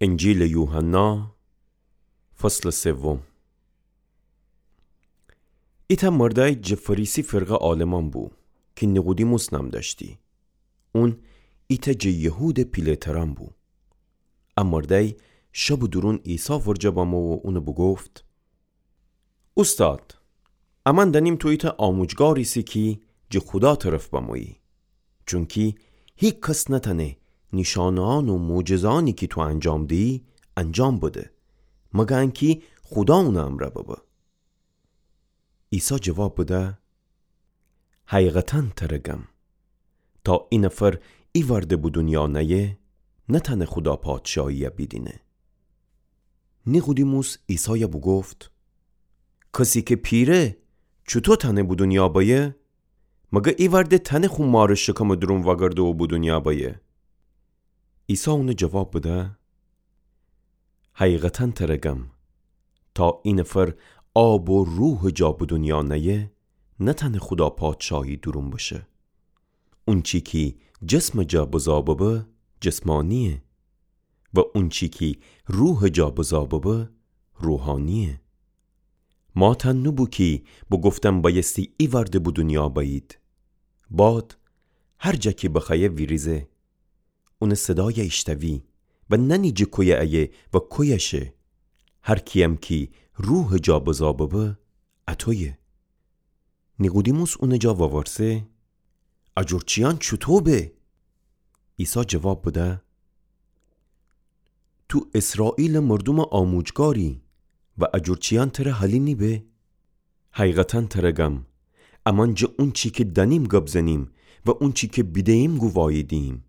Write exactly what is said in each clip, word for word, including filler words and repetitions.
انجیلٚ یوحنا، فصلٚ سوم. ایتأ مردأی جٚه فریسی فرقه عالمان بو، کی نیقودیموس نام دأشتی. اون ایتأ جٚه یهودٚ پیله‌ترأن بو. ا مردأی شبٚ دورون عیسی ورجه بمو و اونَ بوگفت: اوستاد، امأن دأنیم تو ایتأ آموجگار ایسی کی جٚه خودا طرف بمویی. چونکی هیکس نتأنه نیشانه‌یأن و معجزه‌یأنی کی تو انجام دیی، انجام بده، مگر انکی خودا اونٚ امرأ ببه. عیسی جواب بده: حقیقتاً تره گم، تا ای نفر ایوأرده به دونیا نأیه، نتأنه خودا پادشاهیَ بیدینه. نیقودیموس عیسایَ بوگفت: کسی کی پیره، چوطو تأنه به دونیا بأیه؟ مگر ایوأرده تأنه خو مارٚ شکمٚ دورون وأگرده و به دونیا بأیه؟ عیسی اونَ جواب بده: حقیقتاً تره گم، تا ای نفر آب و روحٚ جا به دونیا نأیه، نتأنه خودا پادشاهی دورون بشه. اونچی کی جسمٚ جا بزا ببه، جسمانییه، و اونچی کی روحٚ جا بزا ببه، روحانییه. ماتأن نوبو کی بوگفتم بأیستی ایوأرده به دونیا بأیید. باد هر جا کی بخوأیه ویریزه، اونٚ صدایَ ایشتوی و نأنی جٚه کویه ایه و کویه شه. هر کییم کی روحٚ جا بزا ببه، اطویه. نیقودیموس اونٚ جا وورسه: ا جور چییأن چوطو به؟ عیسی جواب بده: تو اسرائیلٚ مردومٚ آموجگاری و ا جور چییأن تره حالی نیبه؟ حقیقتاً تره گم، امأن جٚه اونچی کی دأنیم گب زنیم و اونچی کی بیدهییم گوواهی دییم،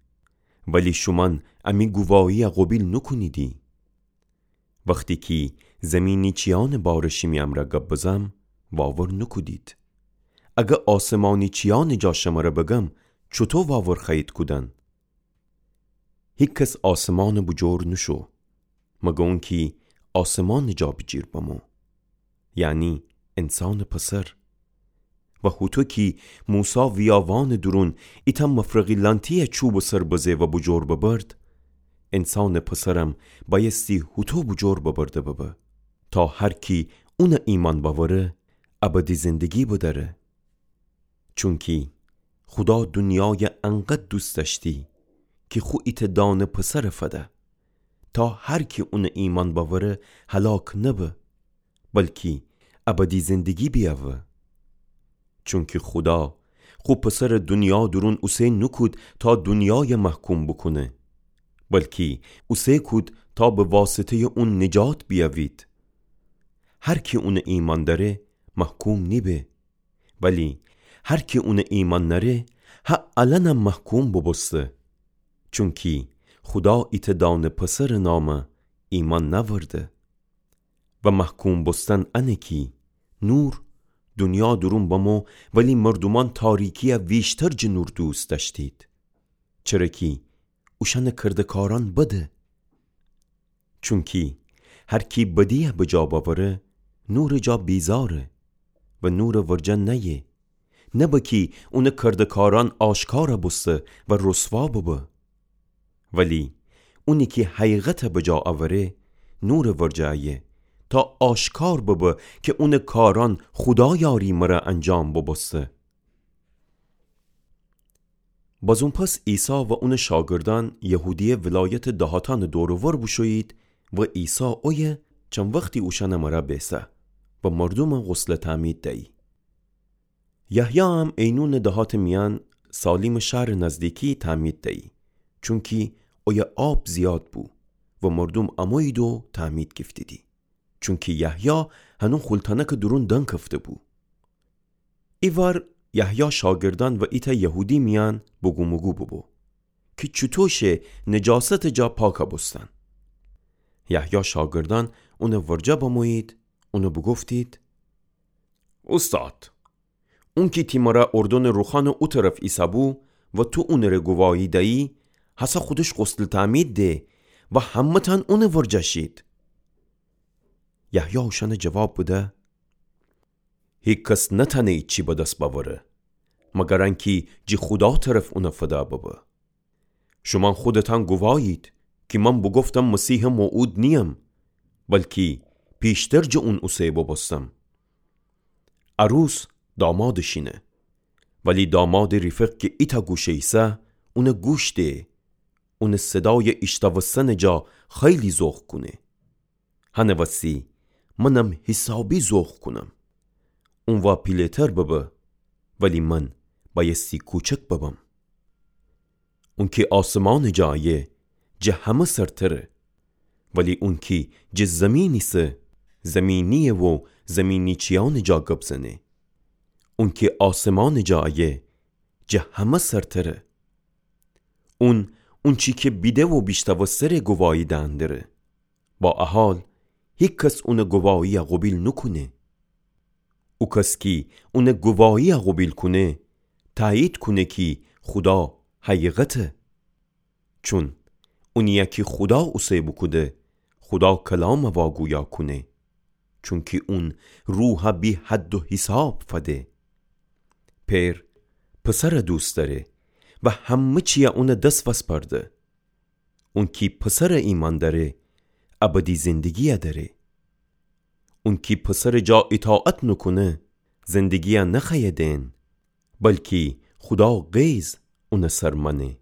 ولی شومأن امی گوواهیَ قوبیل نوکونیدی. وختی کی زیمینی چییأنٚ باره شیمی امرأ گب بزم، واور نوکودید. اگر آسمانی چییأنٚ جا شمره بگم، چوطو واور خوأیید کودن؟ هیکس آسمانٚ بوجور نوشو، مگر اونکی آسمانٚ جا بیجیر بمو، یعنی انسانٚ پسر. و هوطو کی موسی ویاوانٚ دورون ایتأ مفرقی لأنتی‌یَ چوبٚ سر بزه و بوجور ببرد، انسانٚ پسرم بأیستی هوطو بوجور ببرده ببه، تا هر کی اونَ ایمأن بأوره، ابدی زندگی بدأره. چونکی خودا دونیایَ انقدر دوست دأشتی کی خو ایتأ دانه پسرَ فده، تا هر کی اونَ ایمأن بأوره هلاک نبه، بلکی ابدی زندگی بیأوه. چونکی خودا خو پسرَ دونیا دورون اوسه نوکود تا دونیایَ محکوم بوکونه، بلکی اوسه کود تا به واسطه‌یٚ اون نجات بیأوید. هر کی اونَ ایمأن دأره، محکوم نیبه، ولی هر کی اونَ ایمأن نأره، هه الأنم محکوم بوبوسته. چونکی خودا ایتأ دانه پسرٚ نامَ ایمأن نأورده. و محکوم بوستن انه کی نور دونیا دورون بمو، ولی مردومأن تاریکی‌یَ ویشتر جٚه نور دوست دأشتید، چره کی اوشأنٚ کرده‌کارأن بده. چونکی هر کی بدی‌یَ بجا بأوره، نورٚ جا بیزاره و نورٚ ورجه نأیه، نبه کی اونٚ کرده‌کارأن آشکارَ بوسته و رسوا ببه. ولی اونی کی حقیقتَ بجا اوره، نورٚ ورجه ایه، تا آشکار ببه کی اونٚ کارأن خودایأری مره انجام بوبوسته. بازون پس عیسی و اونٚ شاگردأن یهودیه ولایتٚ دهاتأنٚ دور و ور بوشویید و عیسی اویه چند وختی اوشأنٚ مره بیسه و مردومَ غسلٚ تعمید دیی. یحیی هم عینونٚ دهاتٚ میأن سالیمٚ شهرٚ نزدیکی تعمید دیی، چونکی اویه آب زیاد بو و مردوم امویید و تعمید گیفتیدی. چونکی یحیی هنو خولتأنکٚ دورون دنکفته بو. ایوار یحیی شاگردأن و ایتأ یهودی میأن بوگوموگو بوبو کی چوطو شه نجاستٚ جا پاکَ بوستن. یحیی شاگردأن اونٚ ورجه بمویید، اونَ بوگفتید: اوستاد، اونکی تی مره اردنٚ روخانٚ او طرف ایسه‌بو و تو اونٚره گواهی دیی، هسه خودش غسلٚ تعمید ده و همه‌تأن اونٚ ورجه شید. یحیی اوشأنَ جواب بده: هیکس نتأنه ایچی به دس بأوره، مگر انکی جٚه خودا طرف اونَ فده ببه. شومأن خودتأن گواهید کی من بوگفتم مسیحٚ موعود نییم، بلکی پیشتر جٚه اون اوسه بوبوستم. عروس دامادٚ شینه، ولی دامادٚ ریفق کی ایتأ گوشه ایسه، اونَ گوش دهه، اونٚ صدایَ ایشتاوستنٚ جا خیلی ذوق کونه. هنٚ وسی منم حسابی ذوق کونم. اون وا پیله‌تر ببه، ولی من بأیستی کوچک ببم. اونکی آسمانٚ جا ایه، جٚه همه سرتره، ولی اونکی جٚه زمین ایسه، زمینی‌یه و زمینی‌چیأنٚ جا گب زنه. اونکی آسمانٚ جا ایه، جٚه همه سرتره. اون، اونچی کی بیده و بیشتاوسته‌ره گواهی دئن دره. با ا حال، هیکس اونٚ گواهی‌یَ قوبیل نوکونه. او کس کی اونٚ گواهی‌یَ قوبیل کونه، تأیید کونه کی خودا حقیقته. چون اونی‌یَ کی خودا اوسه بوکوده، خودا کلامَ واگویا کونه. چونکی اون روحَ بی‌حد و حساب فده. پئر پسرَ دوست دأره و همه چی‌یَ اونٚ دس وسپرده. اونکی پسرَ ایمأن دأره، ابدی زندگی‌یَ دأره. اونکی پسرٚ جا ایطاعت نوکونه، زندگی‌یَ نخوأیه دئن، بلکی خودا غیظ اونٚ سر مأنه.